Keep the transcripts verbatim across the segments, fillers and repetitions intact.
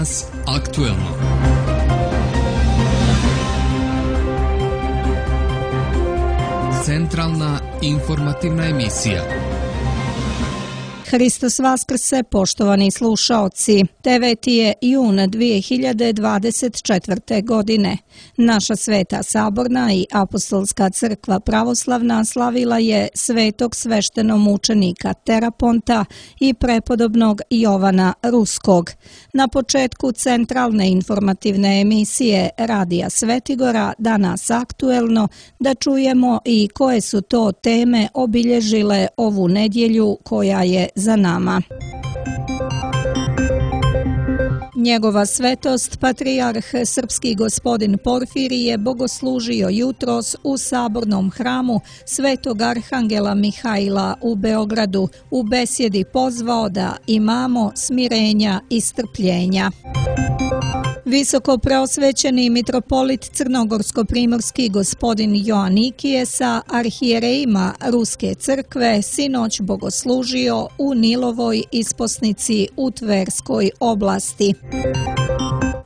Danas aktuelno. Centralna informativna emisija. Hristos Vaskrse, poštovani slušaoci. deveti je jun dvije hiljade dvadeset četvrte. godine. Naša Sveta Saborna i Apostolska crkva pravoslavna slavila je svetog sveštenomučenika Teraponta i prepodobnog Jovana Ruskog. Na početku centralne informativne emisije Radija Svetigora Danas aktuelno da čujemo i koje su to teme obilježile ovu nedjelju koja je za nama. Njegova svetost, patrijarh srpski gospodin Porfirije, bogoslužio jutros u sabornom hramu Svetog Arhangela Mihaila u Beogradu. U besjedi pozvao da imamo smirenja i strpljenja. Visoko preosvećeni mitropolit crnogorsko-primorski gospodin Joanikije sa arhijerejima Ruske crkve sinoć bogoslužio u Nilovoj isposnici u Tverskoj oblasti.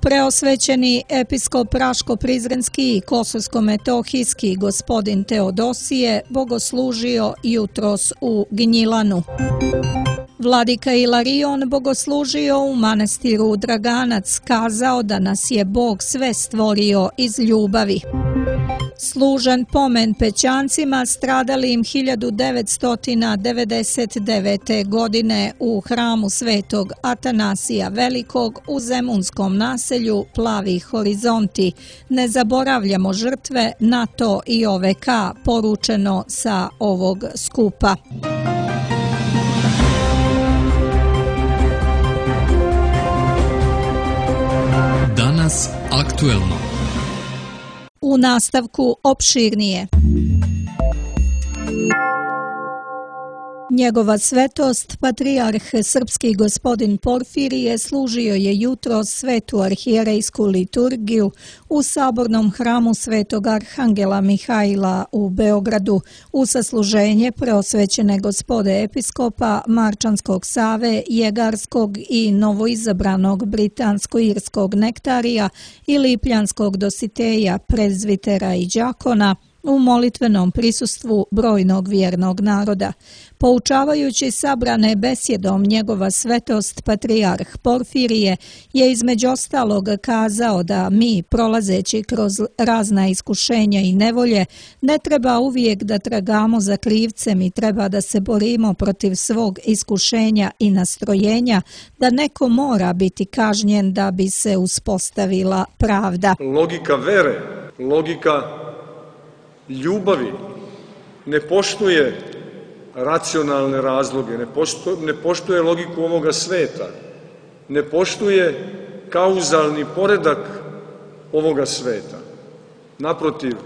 Preosvećeni episkop Raško-Prizrenski i Kosovsko-metohijski gospodin Teodosije bogoslužio jutros u Gnjilanu. Vladika Ilarion bogoslužio u manastiru Draganac, kazao da nas je Bog sve stvorio iz ljubavi. Služen pomen Pećancima stradalim hiljadu devetsto devedeset devete. godine u hramu Svetog Atanasija Velikog u zemunskom naselju Plavi horizonti. Ne zaboravljamo žrtve NATO i O V K, poručeno sa ovog skupa. Danas aktuelno. U nastavku opširnije. Njegova svetost, patrijarh srpski gospodin Porfirije, služio je jutros svetu arhijerejsku liturgiju u sabornom hramu Svetog Arhangela Mihaila u Beogradu u sasluženje preosvećene gospode episkopa Marčanskog Save, Jegarskog i novoizabranog britansko-irskog nektarija i lipljanskog dositeja, prezvitera i đakona u molitvenom prisustvu brojnog vjernog naroda. Poučavajući sabrane besjedom, njegova svetost patrijarh Porfirije je između ostalog kazao da mi, prolazeći kroz razna iskušenja i nevolje, ne treba uvijek da tragamo za krivcem i treba da se borimo protiv svog iskušenja i nastrojenja, da neko mora biti kažnjen da bi se uspostavila pravda. Logika vere, logika ljubavi ne poštuje racionalne razloge, ne poštuje, ne poštuje logiku ovoga sveta, ne poštuje kauzalni poredak ovoga sveta. Naprotiv,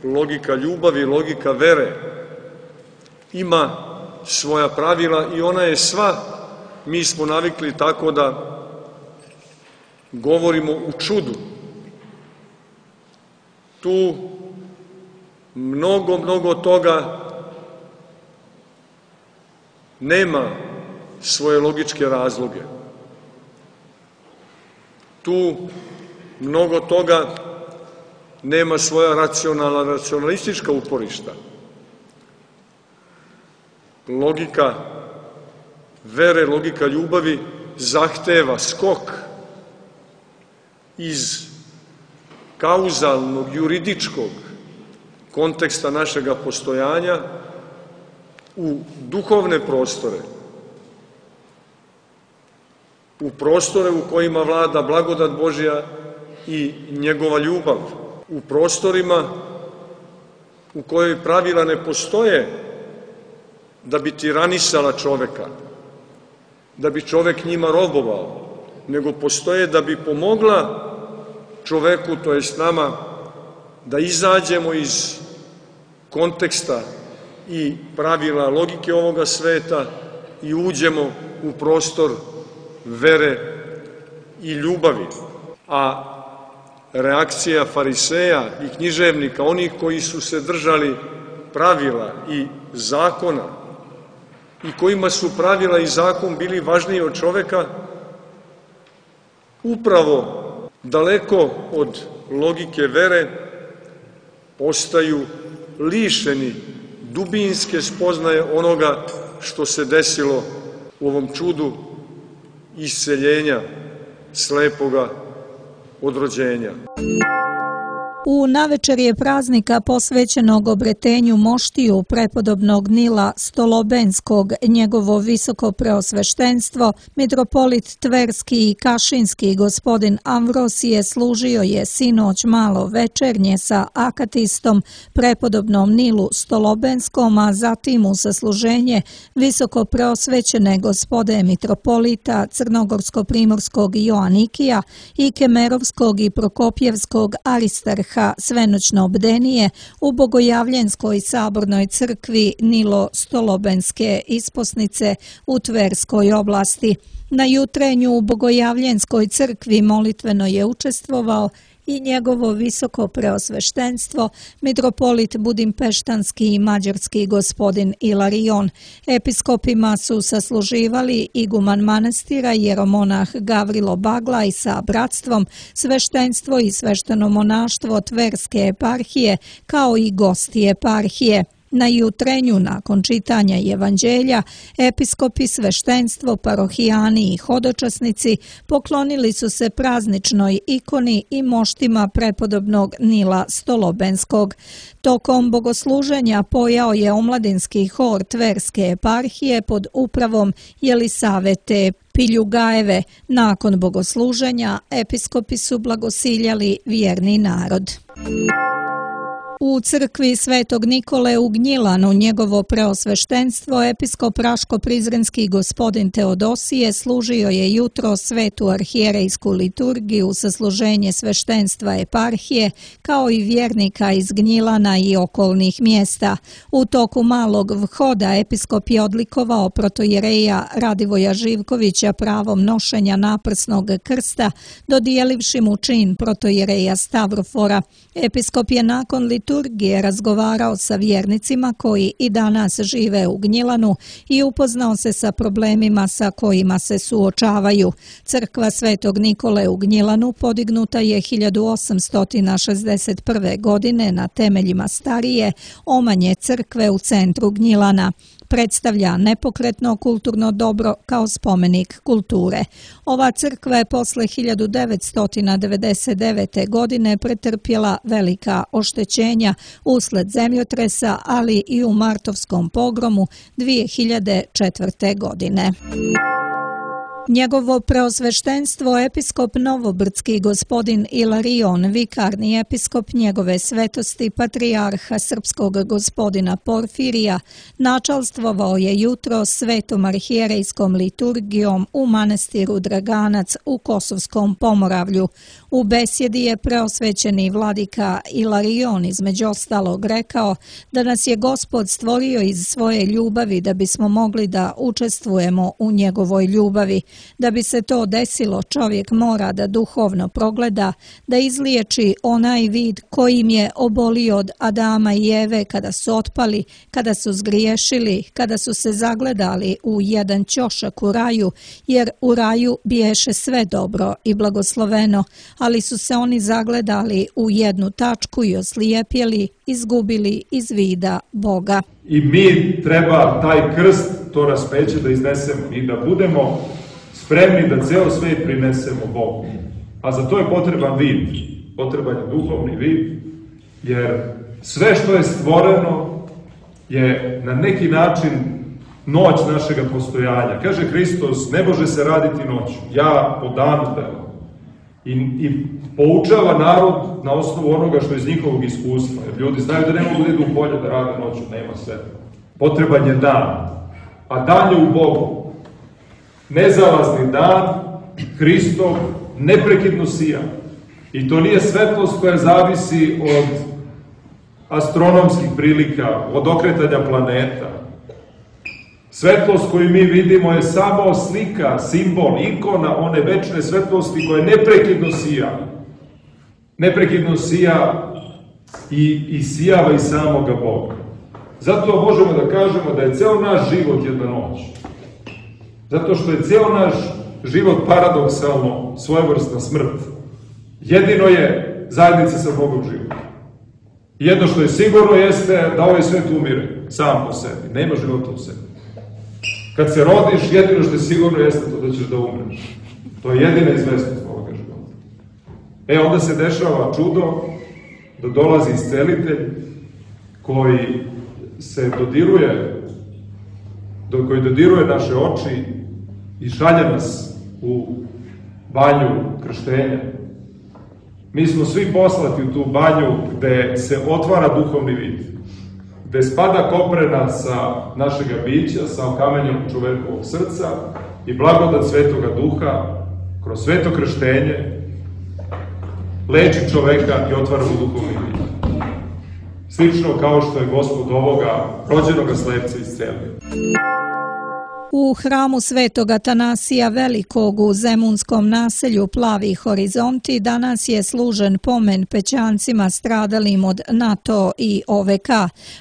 logika ljubavi, logika vere ima svoja pravila i ona je sva, mi smo navikli tako da govorimo u čudu. Tu mnogo, mnogo toga nema svoje logičke razloge. Tu mnogo toga nema svoja racionalna, racionalistička uporišta. Logika vere, logika ljubavi zahteva skok iz kauzalnog, juridičkog konteksta našega postojanja u duhovne prostore, u prostore u kojima vlada blagodat Božja i njegova ljubav, u prostorima u kojoj pravila ne postoje da bi tiranisala čoveka, da bi čovek njima robovao, nego postoje da bi pomogla čoveku, to jest nama, da izađemo iz konteksta i pravila logike ovoga sveta i uđemo u prostor vere i ljubavi. A reakcija fariseja i književnika, onih koji su se držali pravila i zakona i kojima su pravila i zakon bili važniji od čoveka, upravo daleko od logike vere ostaju lišeni dubinske spoznaje onoga što se desilo u ovom čudu isceljenja slepoga od rođenja. U navečerje praznika posvećenog obretenju moštiju prepodobnog Nila Stolobenskog, njegovo visoko preosveštenstvo, mitropolit Tverski i Kašinski gospodin Amvrosije služio je sinoć malo večernje sa akatistom prepodobnom Nilu Stolobenskom, a zatim u sasluženje visoko preosvećene gospode mitropolita Crnogorsko-primorskog Joanikija i Kemerovskog i Prokopjevskog Aristarha svenoćno bdenije u Bogojavljenskoj sabornoj crkvi Nilo Stolobenske isposnice u Tverskoj oblasti. Na jutrenju u Bogojavljenskoj crkvi molitveno je učestvovao i njegovo visoko preosveštenstvo, mitropolit Budimpeštanski i mađarski gospodin Ilarion. Episkopima su sasluživali iguman manastira jeromonah Gavrilo Baglaj sa bratstvom, sveštenstvo i svešteno monaštvo Tverske eparhije, kao i gosti eparhije. Na jutrenju, nakon čitanja evanđelja, episkopi, sveštenstvo, parohijani i hodočasnici poklonili su se prazničnoj ikoni i moštima prepodobnog Nila Stolobenskog. Tokom bogosluženja pojao je omladinski hor Tverske eparhije pod upravom Jelisavete Piljugajeve. Nakon bogosluženja, episkopi su blagosiljali vjerni narod. U crkvi Svetog Nikole u Gnjilanu njegovo preosveštenstvo episkop Raško-Prizrenski gospodin Teodosije služio je jutro svetu arhijerejsku liturgiju sa služenje sveštenstva eparhije kao i vjernika iz Gnjilana i okolnih mjesta. U toku malog vhoda episkop je odlikovao protojereja Radivoja Živkovića pravom nošenja naprsnog krsta, dodijelivši mu čin protojereja Stavrofora. Episkop je nakon liturgije liturgije razgovarao sa vjernicima koji i danas žive u Gnjilanu i upoznao se sa problemima sa kojima se suočavaju. Crkva Svetog Nikole u Gnjilanu podignuta je hiljadu osamsto šezdeset prve. godine na temeljima starije, omanje crkve u centru Gnjilana. Predstavlja nepokretno kulturno dobro kao spomenik kulture. Ova crkva je posle hiljadu devetsto devedeset devete. godine pretrpjela velika oštećenja usled zemljotresa, ali i u martovskom pogromu dvije hiljade četvrte. godine. Njegovo preosveštenstvo episkop Novobrdski gospodin Ilarion, vikarni episkop njegove svetosti patrijarha srpskog gospodina Porfirija, načalstvovao je jutro svetom arhijerejskom liturgijom u manastiru Draganac u Kosovskom Pomoravlju. U besjedi je preosvećeni vladika Ilarion između ostalog rekao da nas je Gospod stvorio iz svoje ljubavi da bismo mogli da učestvujemo u njegovoj ljubavi. Da bi se to desilo, čovjek mora da duhovno progleda, da izliječi onaj vid kojim je obolio od Adama i Eve kada su otpali, kada su zgriješili, kada su se zagledali u jedan ćošak u raju, jer u raju biješe sve dobro i blagosloveno, ali su se oni zagledali u jednu tačku i oslijepjeli, izgubili iz vida Boga. I mi treba taj krst, to raspeće da iznesemo i da budemo spremni da ceo svet prinesemo Bogu. A za to je potreban vid, potreban je duhovni vid, jer sve što je stvoreno je na neki način noć našega postojanja. Kaže Hristos, ne može se raditi noću, ja po danu delam. I, I poučava narod na osnovu onoga što je iz njihovog iskustva. Jer ljudi znaju da ne mogu da idu u polje da rade noću, nema svetla. Potreban je dan, a dan je u Bogu. Nezalazni dan, Hristov, neprekidno sija. I to nije svetlost koja zavisi od astronomskih prilika, od okretanja planeta. Svetlost koju mi vidimo je samo slika, simbol, ikona one večne svetlosti koja neprekidno sija. Neprekidno sija i, i sijava iz samoga Boga. Zato možemo da kažemo da je ceo naš život jedna noć. Zato što je ceo naš život paradoksalno, svojevrsna smrt. Jedino je zajednica sa Bogom život. Jedno što je sigurno jeste da ovaj svet umire sam po sebi. Nema života u sebi. Kad se rodiš, jedino što je sigurno jeste to da ćeš da umreš. To je jedina izvesnost ovoga života. E, onda se dešava čudo da dolazi iscelitelj koji se dodiruje, do koji dodiruje naše oči i šalje nas u banju krštenja. Mi smo svi poslati u tu banju gde se otvara duhovni vid, gde spada koprena sa našega bića, sa okamenjem čovekovog srca i blagodat Svetoga Duha kroz sveto krštenje leči čoveka i otvara mu duhovni vid. Slično kao što je Gospod ovoga rođenoga slepca iscelio. U hramu Svetog Atanasija Velikog u zemunskom naselju Plavi Horizonti danas je služen pomen pećancima stradalim od NATO i O V K.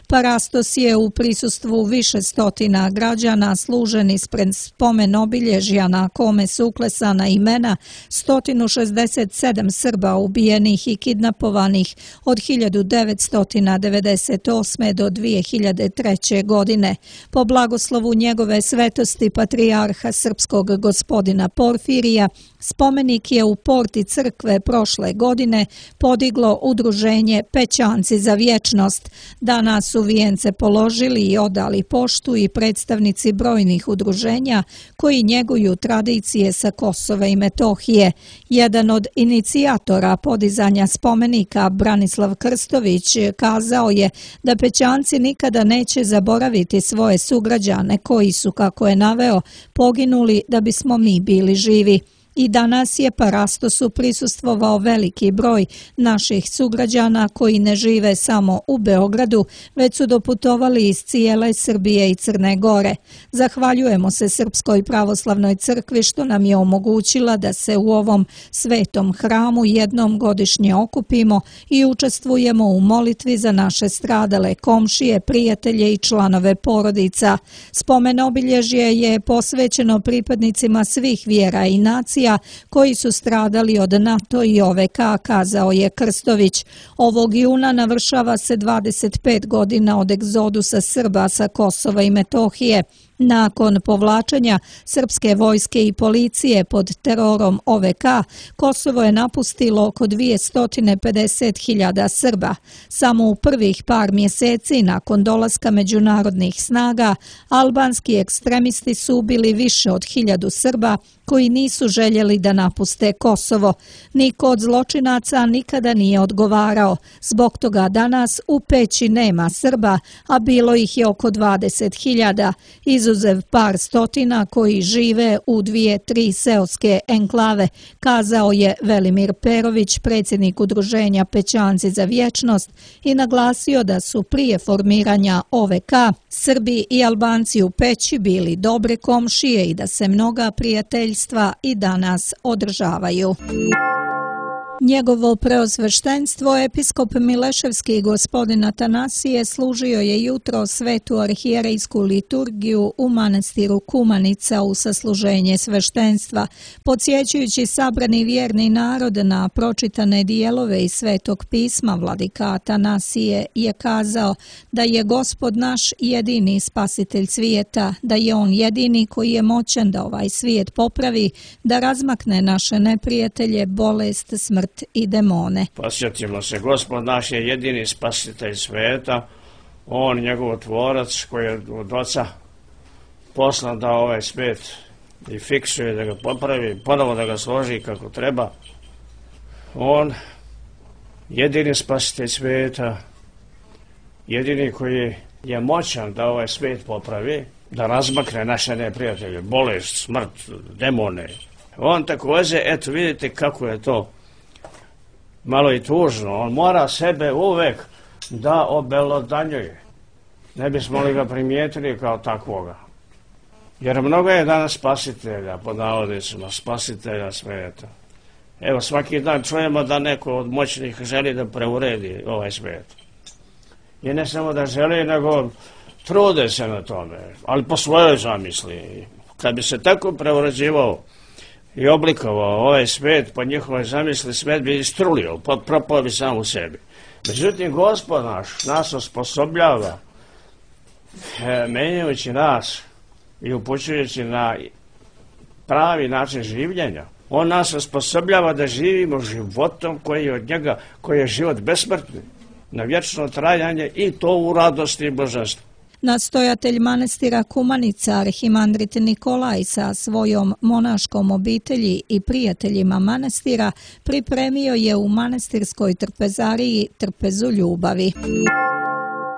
Parastos je u prisustvu više stotina građana služen ispred spomen obilježja na kome su uklesana imena sto šezdeset sedam Srba ubijenih i kidnapovanih od hiljadu devetsto devedeset osme. do dvije hiljade treće. godine. Po blagoslovu njegove svetosti patrijarha srpskog gospodina Porfirija, spomenik je u porti crkve prošle godine podiglo udruženje Pećanci za vječnost. Danas su vijence položili i odali poštu i predstavnici brojnih udruženja koji njeguju tradicije sa Kosova i Metohije. Jedan od inicijatora podizanja spomenika, Branislav Krstović, kazao je da Pećanci nikada neće zaboraviti svoje sugrađane koji su, kako je naveo, poginuli da bismo mi bili živi. I danas je Parastosu prisustvovao veliki broj naših sugrađana koji ne žive samo u Beogradu, već su doputovali iz cijele Srbije i Crne Gore. Zahvaljujemo se Srpskoj pravoslavnoj crkvi što nam je omogućila da se u ovom svetom hramu jednom godišnje okupimo i učestvujemo u molitvi za naše stradale komšije, prijatelje i članove porodica. Spomen obilježje je posvećeno pripadnicima svih vjera i nacija koji su stradali od NATO i O V K, kazao je Krstović. Ovog juna navršava se dvadeset pet godina od egzodusa Srba sa Kosova i Metohije. Nakon povlačenja srpske vojske i policije pod terorom O V K, Kosovo je napustilo oko dvjesto pedeset hiljada Srba. Samo u prvih par mjeseci nakon dolaska međunarodnih snaga, albanski ekstremisti su ubili više od hiljadu Srba koji nisu željeli da napuste Kosovo. Niko od zločinaca nikada nije odgovarao. Zbog toga danas u Peći nema Srba, a bilo ih je oko dvadeset hiljada. Izuzev par stotina koji žive u dvije, tri seoske enklave, kazao je Velimir Perović, predsjednik udruženja Pećanci za vječnost, i naglasio da su prije formiranja O V K Srbi i Albanci u Peći bili dobre komšije i da se mnoga prijateljstva i danas održavaju. Njegovo preosveštenstvo, episkop Mileševski gospodin Atanasije, služio je jutro svetu arhijerejsku liturgiju u manastiru Kumanica u sasluženje sveštenstva. Podsjećajući sabrani vjerni narod na pročitane dijelove iz Svetog pisma, vladika Atanasije je kazao da je Gospod naš jedini spasitelj svijeta, da je on jedini koji je moćan da ovaj svijet popravi, da razmakne naše neprijatelje, bolest, smrt i demone. Posjetimo se, Gospod naš je jedini spasitelj svijeta, on njegov tvorac koji je od oca poslan da ovaj svijet i fiksuje, da ga popravi, ponovo da ga složi kako treba. On jedini spasitelj svijeta, jedini koji je moćan da ovaj svijet popravi, da razmakne naše neprijatelje, bolest, smrt, demone. On također, eto vidite kako je to malo i tužno, on mora sebe uvek da obelodanjuje. Ne bismo li ga primijetili kao takvoga. Jer mnogo je danas spasitelja, pod navodnicima, spasitelja svijeta. Evo, svaki dan čujemo da neko od moćnih želi da preuredi ovaj svijet. I ne samo da želi, nego trude se na tome, ali po svojoj zamisli. Kad bi se tako preuređivao i oblikovao ovaj svet, po njihovoj zamisli svet bi istrulio, propao bi sam u sebi. Međutim, Gospod naš nas osposobljava, menjajući nas i upućujući na pravi način življenja. On nas osposobljava da živimo životom koji je od njega, koji je život besmrtni, na vječno trajanje i to u radosti i božanstvu. Nastojatelj manastira Kumanica, arhimandrit Nikolaj sa svojom monaškom obitelji i prijateljima manastira pripremio je u manastirskoj trpezariji trpezu ljubavi.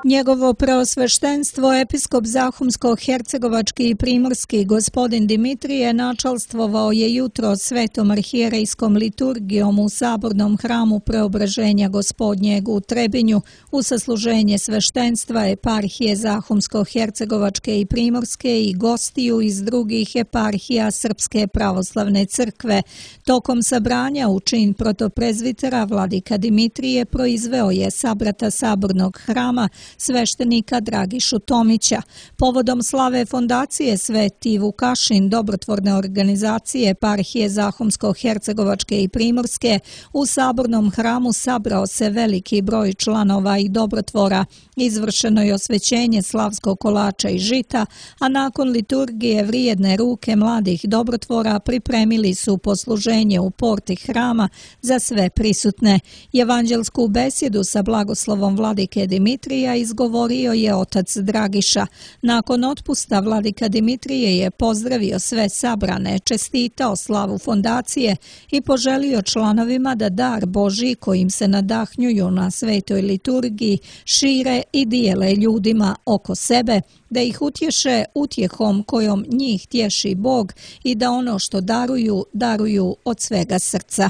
Njegovo preosveštenstvo episkop Zahumsko-hercegovački i primorski gospodin Dimitrije načalstvovao je jutro svetom arhijerejskom liturgijom u sabornom hramu Preobraženja Gospodnjeg u Trebinju u sasluženje sveštenstva eparhije Zahumsko-hercegovačke i primorske i gostiju iz drugih eparhija Srpske pravoslavne crkve. Tokom sabranja u čin protoprezvitera vladika Dimitrije proizveo je sabrata sabornog hrama sveštenika Dragišu Tomića. Povodom slave fondacije Sveti Vukašin dobrotvorne organizacije eparhije Zahumsko-hercegovačke i primorske u sabornom hramu sabrao se veliki broj članova i dobrotvora. Izvršeno je osvećenje slavskog kolača i žita, a nakon liturgije vrijedne ruke mladih dobrotvora pripremili su posluženje u porti hrama za sve prisutne. Evanđelsku besjedu sa blagoslovom vladike Dimitrija izgovorio je otac Dragiša. Nakon otpusta vladika Dimitrije je pozdravio sve sabrane, čestitao slavu fondacije i poželio članovima da dar Božji kojim se nadahnjuju na svetoj liturgiji šire i dijele ljudima oko sebe, da ih utješe utjehom kojom njih tješi Bog i da ono što daruju, daruju od svega srca.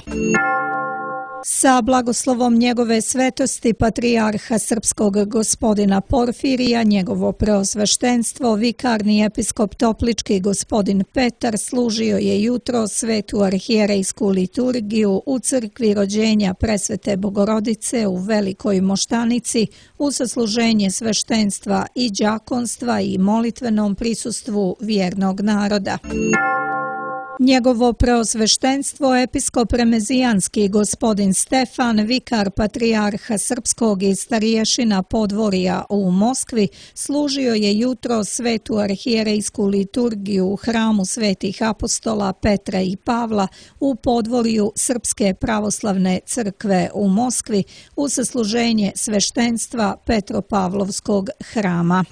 Sa blagoslovom njegove svetosti patrijarha srpskog gospodina Porfirija, njegovo preosveštenstvo, vikarni episkop Toplički gospodin Petar služio je jutro svetu arhijerejsku liturgiju u crkvi rođenja Presvete Bogorodice u Velikoj Moštanici u sasluženje sveštenstva i đakonstva i molitvenom prisustvu vjernog naroda. Njegovo preosveštenstvo episkop remezijanski gospodin Stefan, vikar patrijarha srpskog i stariješina podvorja u Moskvi, služio je jutro svetu arhijerejsku liturgiju u hramu svetih apostola Petra i Pavla u podvorju Srpske pravoslavne crkve u Moskvi u sasluženje sveštenstva Petropavlovskog hrama.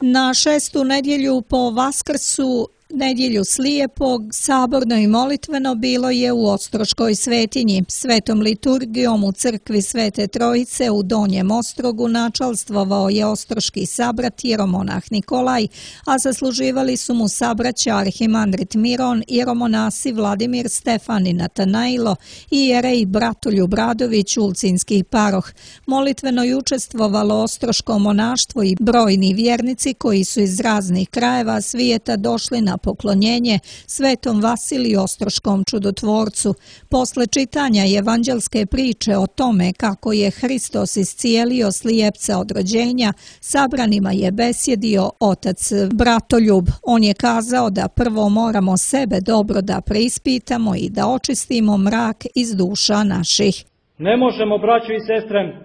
Na šestu nedjelju po Vaskrsu, nedjelju slijepog, saborno i molitveno bilo je u Ostroškoj svetinji. Svetom liturgijom u crkvi Svete Trojice u Donjem Ostrogu načalstvovao je ostroški sabrat jeromonah Nikolaj, a zasluživali su mu sabraća arhimandrit Miron, jeromonasi Vladimir, Stefan i Natanajlo i jerej Bratoljub Radović, ulcinski paroh. Molitveno je učestvovalo ostroško monaštvo i brojni vjernici koji su iz raznih krajeva svijeta došli na poklonjenje svetom Vasiliju Ostroškom čudotvorcu. Posle čitanja evanđelske priče o tome kako je Hristos iscijelio slijepca od rođenja, sabranima je besjedio otac Bratoljub. On je kazao da prvo moramo sebe dobro da preispitamo i da očistimo mrak iz duša naših. Ne možemo, braćo i sestre,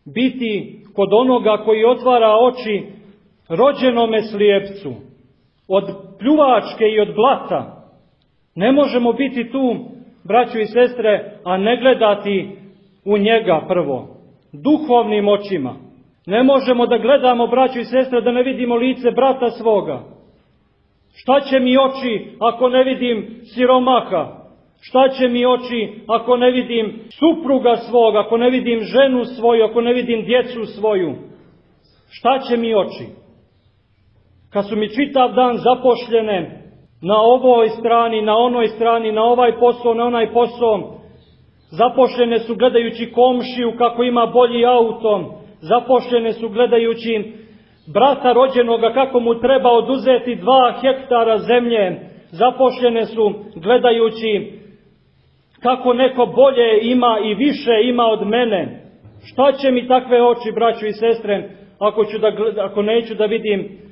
biti kod onoga koji otvara oči rođenome slijepcu od pljuvačke i od blata. Ne možemo biti tu, braćo i sestre, a ne gledati u njega prvo, duhovnim očima. Ne možemo da gledamo, braćo i sestre, da ne vidimo lice brata svoga. Šta će mi oči ako ne vidim siromaha? Šta će mi oči ako ne vidim supruga svoga, ako ne vidim ženu svoju, ako ne vidim djecu svoju? Šta će mi oči? Kad su mi čitav dan zapošljene na ovoj strani, na onoj strani, na ovaj posao, na onaj posao, zapošljene su gledajući komšiju kako ima bolji auto, zapošljene su gledajući brata rođenoga kako mu treba oduzeti dva hektara zemlje, zapošljene su gledajući kako neko bolje ima i više ima od mene. Šta će mi takve oči, braćo i sestre, ako, ću da, ako neću da vidim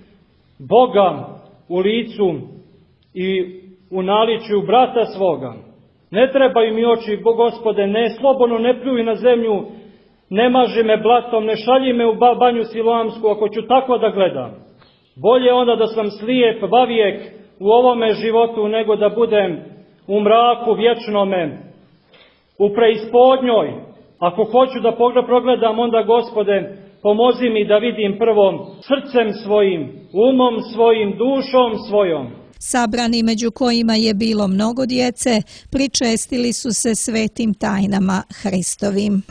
Boga u licu i u naličju brata svoga. Ne trebaju mi oči, Gospode, ne slobodno ne pljuj na zemlju, ne maži me blatom, ne šalji me u banju siloamsku, ako ću tako da gledam. Bolje onda da sam slijep vavijek u ovome životu, nego da budem u mraku vječnome, u preispodnjoj. Ako hoću da progledam, onda, Gospode, pomozi mi da vidim prvo srcem svojim, umom svojim, dušom svojom. Sabrani, među kojima je bilo mnogo djece, pričestili su se svetim tajnama Hristovim.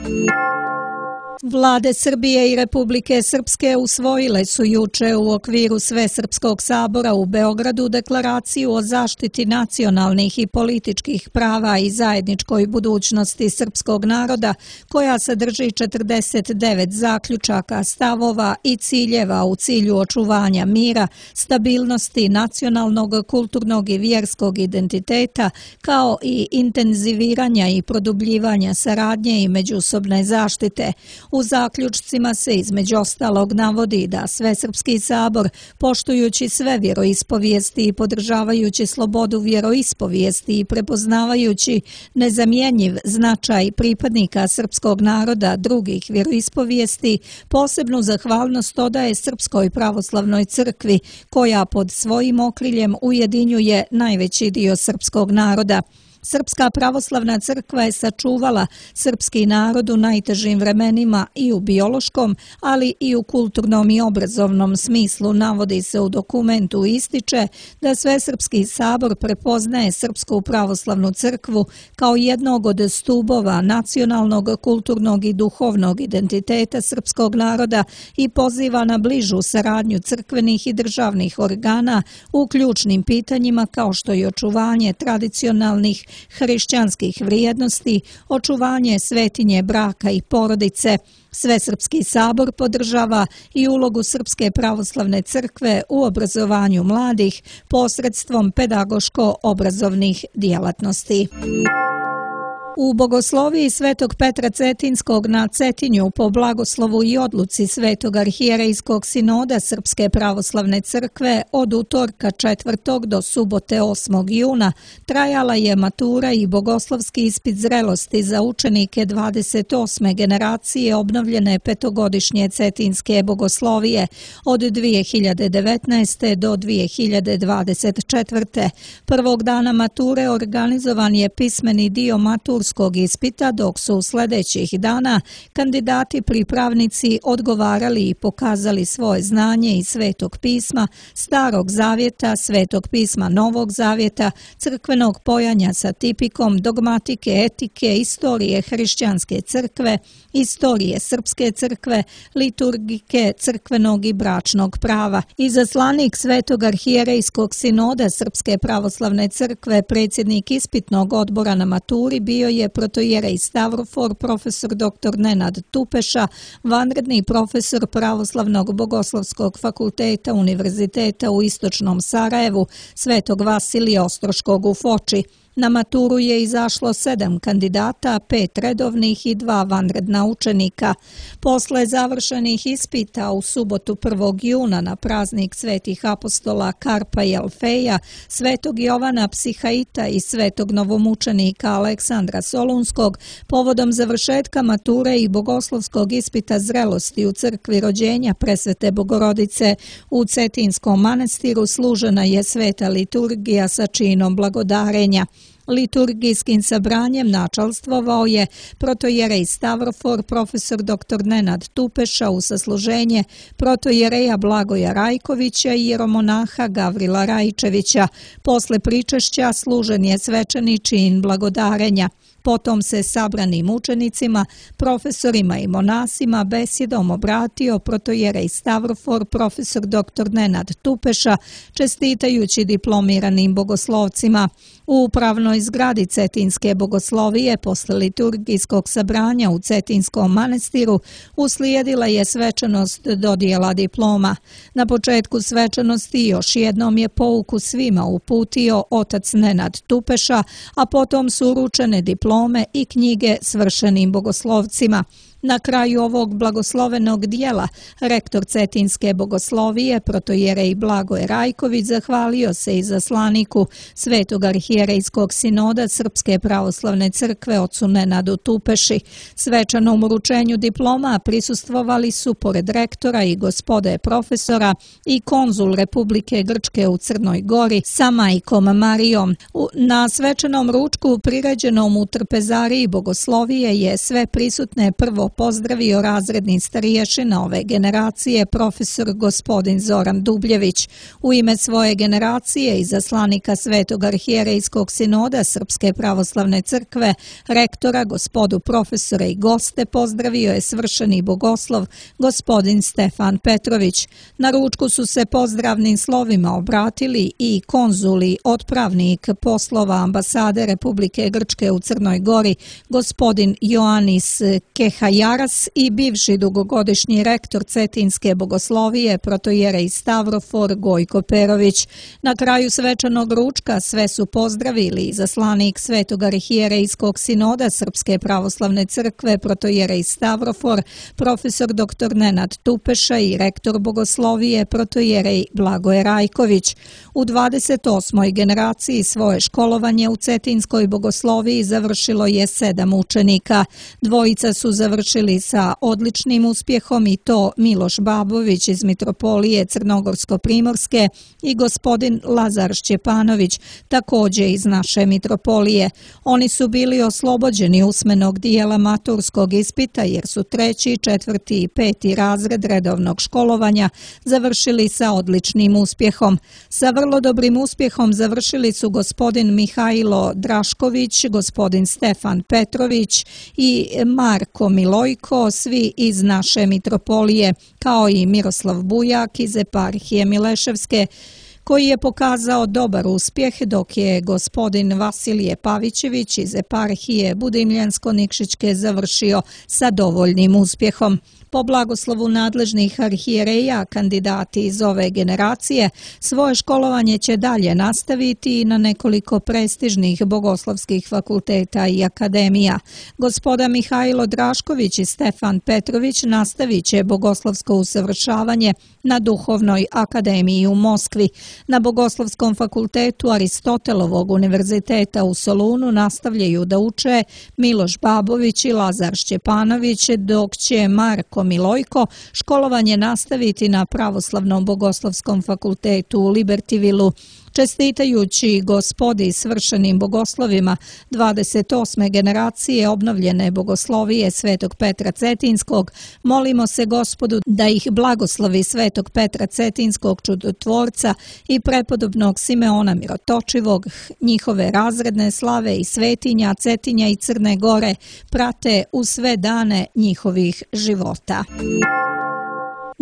Vlade Srbije i Republike Srpske usvojile su juče u okviru Svesrpskog sabora u Beogradu deklaraciju o zaštiti nacionalnih i političkih prava i zajedničkoj budućnosti srpskog naroda, koja sadrži četrdeset devet zaključaka, stavova i ciljeva u cilju očuvanja mira, stabilnosti nacionalnog, kulturnog i vjerskog identiteta, kao i intenziviranja i produbljivanja saradnje i međusobne zaštite. U zaključcima se između ostalog navodi da Svesrpski sabor, poštujući sve vjeroispovijesti i podržavajući slobodu vjeroispovijesti i prepoznavajući nezamjenjiv značaj pripadnika srpskog naroda drugih vjeroispovijesti, posebnu zahvalnost odaje Srpskoj pravoslavnoj crkvi, koja pod svojim okriljem ujedinjuje najveći dio srpskog naroda. Srpska pravoslavna crkva je sačuvala srpski narod u najtežim vremenima i u biološkom, ali i u kulturnom i obrazovnom smislu. Navodi se u dokumentu, ističe da Svesrpski sabor prepoznaje Srpsku pravoslavnu crkvu kao jednog od stubova nacionalnog, kulturnog i duhovnog identiteta srpskog naroda i poziva na bližu saradnju crkvenih i državnih organa u ključnim pitanjima kao što je očuvanje tradicionalnih hrišćanskih vrijednosti, očuvanje svetinje braka i porodice. Svesrpski sabor podržava i ulogu Srpske pravoslavne crkve u obrazovanju mladih posredstvom pedagoško-obrazovnih djelatnosti. U bogosloviji Svetog Petra Cetinskog na Cetinju po blagoslovu i odluci Svetog arhijerejskog sinoda Srpske pravoslavne crkve od utorka četvrtog do subote osmog juna trajala je matura i bogoslovski ispit zrelosti za učenike dvadeset osme generacije obnovljene petogodišnje Cetinske bogoslovije od dvije hiljade devetnaeste. do dvije hiljade dvadeset četvrte. Prvog dana mature organizovan je pismeni dio matur ispita, dok su u sljedećih dana kandidati pripravnici odgovarali i pokazali svoje znanje iz Svetog pisma, Starog zavjeta, Svetog pisma Novog zavjeta, crkvenog pojanja sa tipikom, dogmatike, etike, istorije hrišćanske crkve, istorije srpske crkve, liturgike, crkvenog i bračnog prava. Izaslanik Svetog arhijerejskog sinoda Srpske pravoslavne crkve, predsjednik ispitnog odbora na maturi, bio je protojerej Stavrofor, profesor doktor Nenad Tupeša, vanredni profesor Pravoslavnog bogoslovskog fakulteta Univerziteta u Istočnom Sarajevu, Svetog Vasilija Ostroškog u Foči. Na maturu je izašlo sedam kandidata, pet redovnih i dva vanredna učenika. Posle završenih ispita u subotu prvog juna na praznik svetih apostola Karpa i Alfeja, Svetog Jovana Psihaita i svetog novomučenika Aleksandra Solunskog, povodom završetka mature i bogoslovskog ispita zrelosti u crkvi rođenja Presvete Bogorodice u Cetinskom manastiru služena je sveta liturgija sa činom blagodarenja. Liturgijskim sabranjem načalstvovao je protojerej Stavrofor, profesor doktor Nenad Tupeša u sasluženje protojereja Blagoja Rajkovića i jeromonaha Gavrila Rajčevića. Posle pričešća služen je svečani čin blagodarenja. Potom se sabranim učenicima, profesorima i monasima besjedom obratio protojerej Stavrofor, profesor doktor Nenad Tupeša, čestitajući diplomiranim bogoslovcima. U upravnoj zgradi Cetinske bogoslovije posle liturgijskog sabranja u Cetinskom manastiru uslijedila je svečanost dodjela diploma. Na početku svečanosti još jednom je pouku svima uputio otac Nenad Tupeša, a potom su uručene diplome i knjige svršenim bogoslovcima. Na kraju ovog blagoslovenog dijela rektor Cetinske bogoslovije protojerej Blagoje Rajković zahvalio se izaslaniku Svetog arhijerejskog sinoda Srpske pravoslavne crkve ocu Nenadu Tupeši. Svečanom uručenju diploma prisustvovali su pored rektora i gospode profesora i konzul Republike Grčke u Crnoj Gori sa majkom Marijom. Na svečanom ručku priređenom u trpezariji bogoslovije je sve prisutne prvo pozdravio razredni stariješina ove generacije profesor gospodin Zoran Dubljević. U ime svoje generacije izaslanika Svetog arhijerejskog sinoda Srpske pravoslavne crkve, rektora, gospodu profesora i goste pozdravio je svršeni bogoslov gospodin Stefan Petrović. Na ručku su se pozdravnim slovima obratili i konzuli, otpravnik poslova ambasade Republike Grčke u Crnoj Gori gospodin Ioannis Kehajaras i bivši dugogodišnji rektor Cetinske bogoslovije protojerej Stavrofor Gojko Perović. Na kraju svečanog ručka sve su pozdravili izaslanik Svetog arhijerejskog sinoda Srpske pravoslavne crkve protojerej Stavrofor profesor doktor Nenad Tupeša i rektor bogoslovije protojerej Blagoje Rajković. U dvadeset osmoj generaciji svoje školovanje u Cetinskoj bogosloviji završilo je sedam učenika. Dvojica su završili sa odličnim uspjehom i to Miloš Babović iz Mitropolije Crnogorsko-Primorske i gospodin Lazar Šćepanović, također iz naše Mitropolije. Oni su bili oslobođeni usmenog dijela maturskog ispita jer su treći, četvrti i peti razred redovnog školovanja završili sa odličnim uspjehom. Sa vrlo dobrim uspjehom završili su gospodin Mihajlo Drašković, gospodin Stefan Petrović i Marko Milojko, svi iz naše Mitropolije, kao i Miroslav Bujak iz eparhije Mileševske, koji je pokazao dobar uspjeh, dok je gospodin Vasilije Pavićević iz eparhije Budimljansko-Nikšićke završio sa dovoljnim uspjehom. Po blagoslovu nadležnih arhijereja, kandidati iz ove generacije svoje školovanje će dalje nastaviti na nekoliko prestižnih bogoslovskih fakulteta i akademija. Gospoda Mihajlo Drašković i Stefan Petrović nastavit će bogoslovsko usavršavanje na Duhovnoj akademiji u Moskvi. Na Bogoslovskom fakultetu Aristotelovog univerziteta u Solunu nastavljaju da uče Miloš Babović i Lazar Šćepanović, dok će Marko Milojko školovanje nastaviti na Pravoslavnom bogoslovskom fakultetu u Libertivilu. Čestitajući gospodi svršenim bogoslovima dvadeset osme generacije obnovljene bogoslovije Svetog Petra Cetinskog, molimo se Gospodu da ih blagoslovi Svetog Petra Cetinskog čudotvorca i prepodobnog Simeona Mirotočivog, njihove razredne slave i svetinja Cetinja i Crne Gore prate u sve dane njihovih života.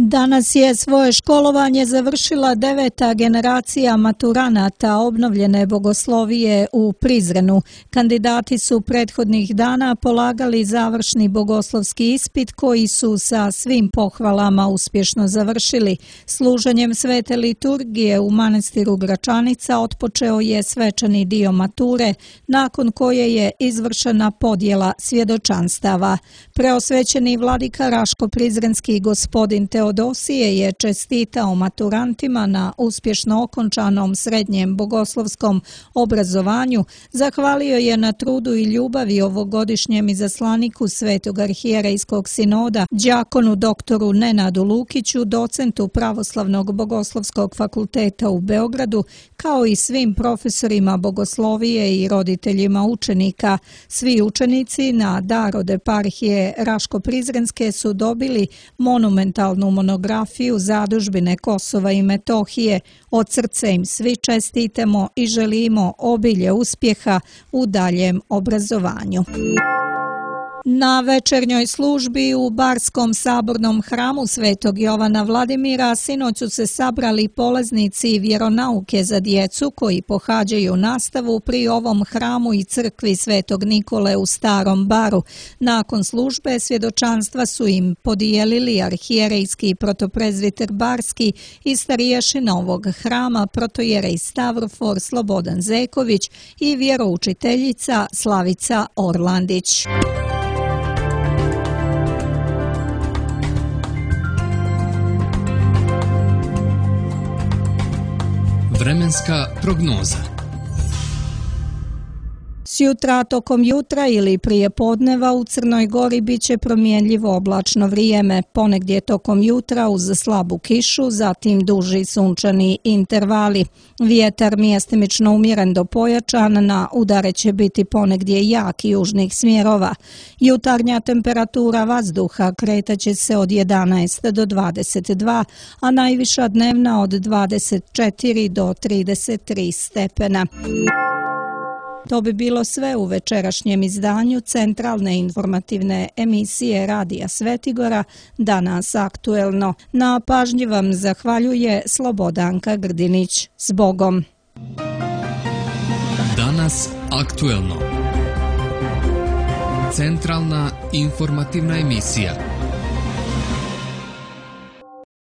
Danas je svoje školovanje završila deveta generacija maturanata obnovljene bogoslovije u Prizrenu. Kandidati su prethodnih dana polagali završni bogoslovski ispit koji su sa svim pohvalama uspješno završili. Služenjem svete liturgije u manastiru Gračanica otpočeo je svečani dio mature, nakon koje je izvršena podjela svjedočanstava. Preosvećeni vladika Raško-Prizrenski gospodin Teodosije je čestitao maturantima na uspješno okončanom srednjem bogoslovskom obrazovanju, zahvalio je na trudu i ljubavi ovogodišnjem izaslaniku Svetog arhijerejskog sinoda, đakonu doktoru Nenadu Lukiću, docentu Pravoslavnog bogoslovskog fakulteta u Beogradu, kao i svim profesorima bogoslovije i roditeljima učenika. Svi učenici na dar od eparhije Raško-Prizrenske su dobili monumentalnu monografiju Zadužbine Kosova i Metohije. Od srca im svi čestitamo i želimo obilje uspjeha u daljem obrazovanju. Na večernjoj službi u Barskom sabornom hramu Svetog Jovana Vladimira sinoć su se sabrali polaznici vjeronauke za djecu koji pohađaju nastavu pri ovom hramu i crkvi Svetog Nikole u Starom Baru. Nakon službe svjedočanstva su im podijelili arhijerejski protoprezviter Barski i stariješina ovog hrama protojerej Stavrofor Slobodan Zeković i vjeroučiteljica Slavica Orlandić. Vremenska prognoza. Sjutra tokom jutra ili prije podneva u Crnoj Gori bit će promjenljivo oblačno vrijeme, ponegdje tokom jutra uz slabu kišu, zatim duži sunčani intervali. Vjetar mjestimično umjeren do pojačan, na udare će biti ponegdje jak južnih smjerova. Jutarnja temperatura vazduha kretaće se od jedanaest do dvadeset dva, a najviša dnevna od dvadeset četiri do trideset tri stepena. To bi bilo sve u večerašnjem izdanju centralne informativne emisije Radija Svetigora, Danas aktuelno. Na pažnji vam zahvaljuje Slobodanka Grdinić. S Bogom! Danas aktuelno. Centralna informativna emisija.